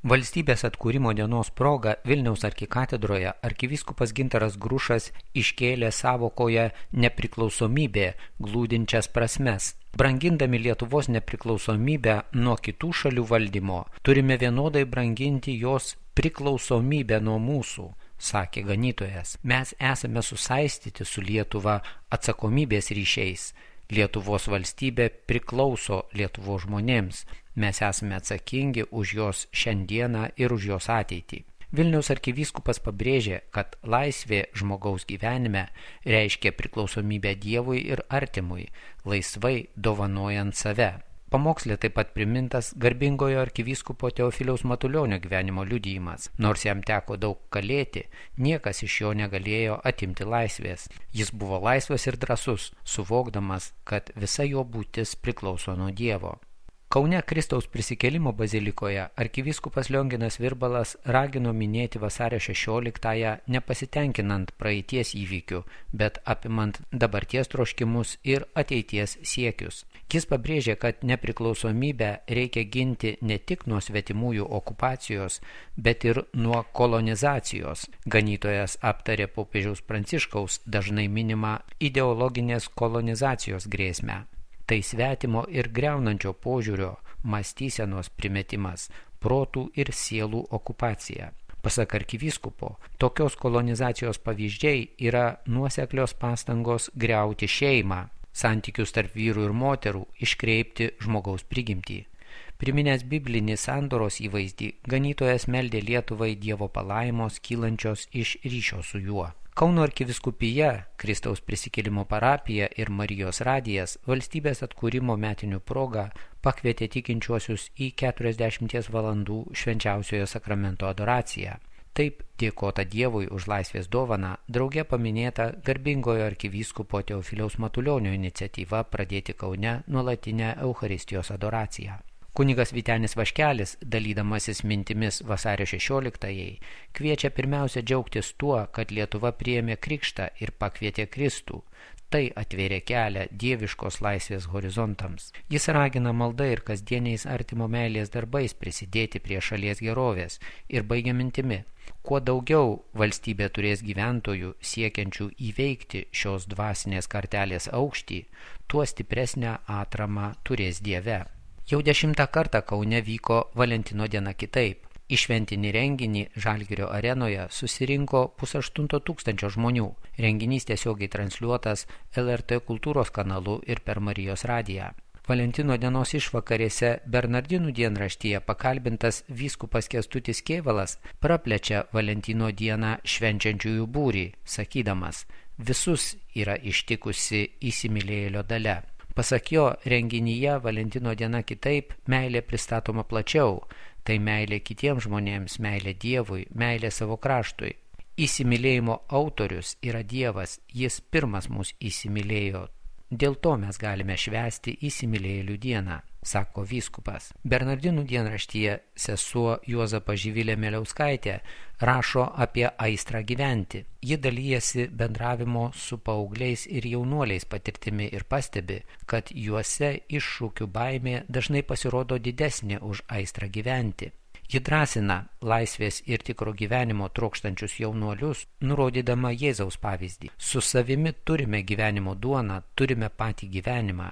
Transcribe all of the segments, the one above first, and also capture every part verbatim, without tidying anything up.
Valstybės atkūrimo dienos proga Vilniaus arkikatedroje arkivyskupas Gintaras Grušas iškėlė sąvokoje nepriklausomybė glūdinčias prasmes. Brangindami Lietuvos nepriklausomybę nuo kitų šalių valdymo, turime vienodai branginti jos priklausomybę nuo mūsų, sakė ganytojas. Mes esame susaistyti su Lietuva atsakomybės ryšiais. Lietuvos valstybė priklauso Lietuvos žmonėms. Mes esame atsakingi už jos šiandieną ir už jos ateitį. Vilniaus arkivyskupas pabrėžė, kad laisvė žmogaus gyvenime reiškia priklausomybę Dievui ir artimui, laisvai dovanojant save. Pamokslė taip pat primintas garbingojo arkivyskupo Teofiliaus Matulionio gyvenimo liudijimas. Nors jam teko daug kalėti, niekas iš jo negalėjo atimti laisvės. Jis buvo laisvas ir drąsus, suvokdamas, kad visa jo būtis priklauso nuo Dievo. Kaune Kristaus prisikėlimo bazilikoje arkivyskupas Lionginas Virbalas ragino minėti vasario šešioliktąją nepasitenkinant praeities įvykių, bet apimant dabarties troškimus ir ateities siekius. Jis pabrėžė, kad nepriklausomybę reikia ginti ne tik nuo svetimųjų okupacijos, bet ir nuo kolonizacijos. Ganytojas aptarė popiežiaus Pranciškaus dažnai minimą ideologinės kolonizacijos grėsmę. Tai svetimo ir greunančio požiūrio, mąstysenos primetimas, protų ir sielų okupacija. Pasak arkivyskupo, tokios kolonizacijos pavyzdžiai yra nuoseklios pastangos griauti šeimą, santykius tarp vyrų ir moterų, iškreipti žmogaus prigimtį. Priminęs biblinį sandoros įvaizdį, ganytojas meldė Lietuvai Dievo palaimos kylančios iš ryšio su juo. Kauno arkivyskupija, Kristaus prisikėlimo parapija ir Marijos radijas valstybės atkūrimo metinių proga pakvietė tikinčiuosius į keturiasdešimties valandų švenčiausiojo sakramento adoraciją. Taip dėkota Dievui už laisvės dovaną, drauge paminėta garbingojo arkivyskupo Teofiliaus Matulionio iniciatyva pradėti Kaune nuolatinę Eucharistijos adoraciją. Kunigas Vytenis Vaškelis, dalydamasis mintimis vasario šešioliktajai, kviečia pirmiausia džiaugtis tuo, kad Lietuva priėmė krikštą ir pakvietė Kristų. Tai atvėrė kelią dieviškos laisvės horizontams. Jis ragina malda ir kasdieniais artimo meilės darbais prisidėti prie šalies gerovės ir baigia mintimi. Kuo daugiau valstybė turės gyventojų siekiančių įveikti šios dvasinės kartelės aukštį, tuo stipresnę atramą turės Dieve. Jau dešimtą kartą Kaune vyko Valentino diena kitaip. Į šventinį renginį Žalgirio arenoje susirinko pusaštunto tūkstančio žmonių. Renginys tiesiogiai transliuotas L R T kultūros kanalu ir per Marijos radiją. Valentino dienos išvakarėse Bernardinų dienraštyje pakalbintas vyskupas Kęstutis Kėvalas praplečia Valentino dieną švenčiančiųjų būrį, sakydamas, visus yra ištikusi įsimylėjėlio dalia. Pasak jo, renginyje Valentino diena kitaip meilė pristatoma plačiau. Tai meilė kitiems žmonėms, meilė Dievui, meilė savo kraštui. Įsimylėjimo autorius yra Dievas, jis pirmas mus įsimylėjo. Dėl to mes galime švęsti įsimylėjėlių dieną, sako vyskupas. Bernardinų dienraštyje sesuo Juozapa Živilė Mieliauskaitė rašo apie aistrą gyventi. Ji dalyjasi bendravimo su paaugliais ir jaunuoliais patirtimi ir pastebi, kad juose iššūkių baimė dažnai pasirodo didesnė už aistrą gyventi. Ji drąsina laisvės ir tikro gyvenimo trokštančius jaunuolius, nurodydama Jėzaus pavyzdį. Su savimi turime gyvenimo duoną, turime patį gyvenimą.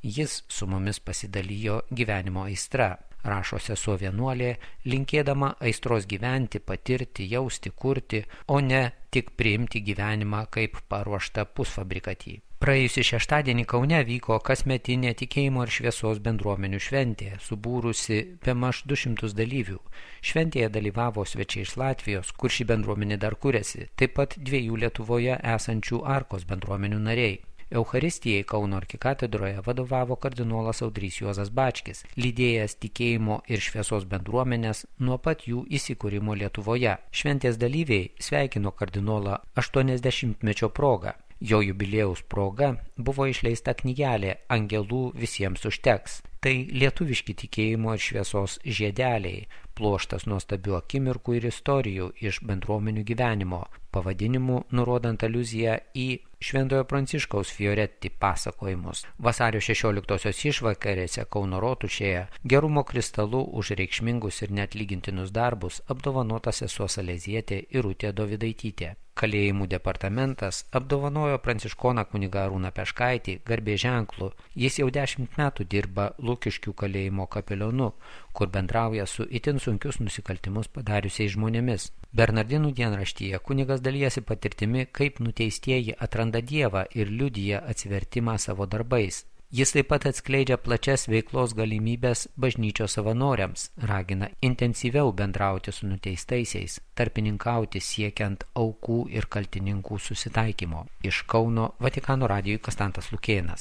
Jis su mumis pasidalijo gyvenimo aistra, rašo sesuo vienuolė, linkėdama aistros gyventi, patirti, jausti, kurti, o ne tik priimti gyvenimą kaip paruoštą pusfabrikatį. Praėjusį šeštadienį Kaune vyko kasmetinė tikėjimo ir šviesos bendruomenių šventė, subūrusi bemaž du šimtus dalyvių. Šventėje dalyvavo svečiai iš Latvijos, kur ši bendruomenė dar kuriasi, taip pat dviejų Lietuvoje esančių Arkos bendruomenių nariai. Eucharistijai Kauno arkikatedroje vadovavo kardinolas Audrys Juozas Bačkis, lydėjęs tikėjimo ir šviesos bendruomenės nuo pat jų įsikūrimo Lietuvoje. Šventės dalyviai sveikino kardinolą aštuoniasdešimtmečio proga. Jo jubiliejaus proga buvo išleista knygelė Angelų visiems užteks. Tai lietuviški tikėjimo ir šviesos žiedeliai, pluoštas nuostabių akimirkų ir istorijų iš bendruomenių gyvenimo, pavadinimu nurodant aliuziją į Šventojo Pranciškaus Fioretti pasakojimus. Vasario šešioliktosios išvakarėse Kauno rotušėje gerumo kristalu už reikšmingus ir neatlygintinus darbus apdovanota sesuo Salezietė Irutė Dovydaitytė. Kalėjimų departamentas apdovanojo pranciškoną kunigą Arūną Peškaitį garbės ženklu. Jis jau dešimt metų dirba Lukiškių kalėjimo kapelionu, kur bendrauja su itin sunkius nusikaltimus padariusiais žmonėmis. Bernardinų dienraštyje kunigas dalijasi patirtimi, kaip nuteistieji atranda Dievą ir liudija atsivertimą savo darbais. Jis taip pat atskleidžia plačias veiklos galimybės bažnyčios savanoriams, ragina intensyviau bendrauti su nuteistaisiais, tarpininkauti siekiant aukų ir kaltininkų susitaikymo. Iš Kauno Vatikano radijui Kastantas Lukėnas.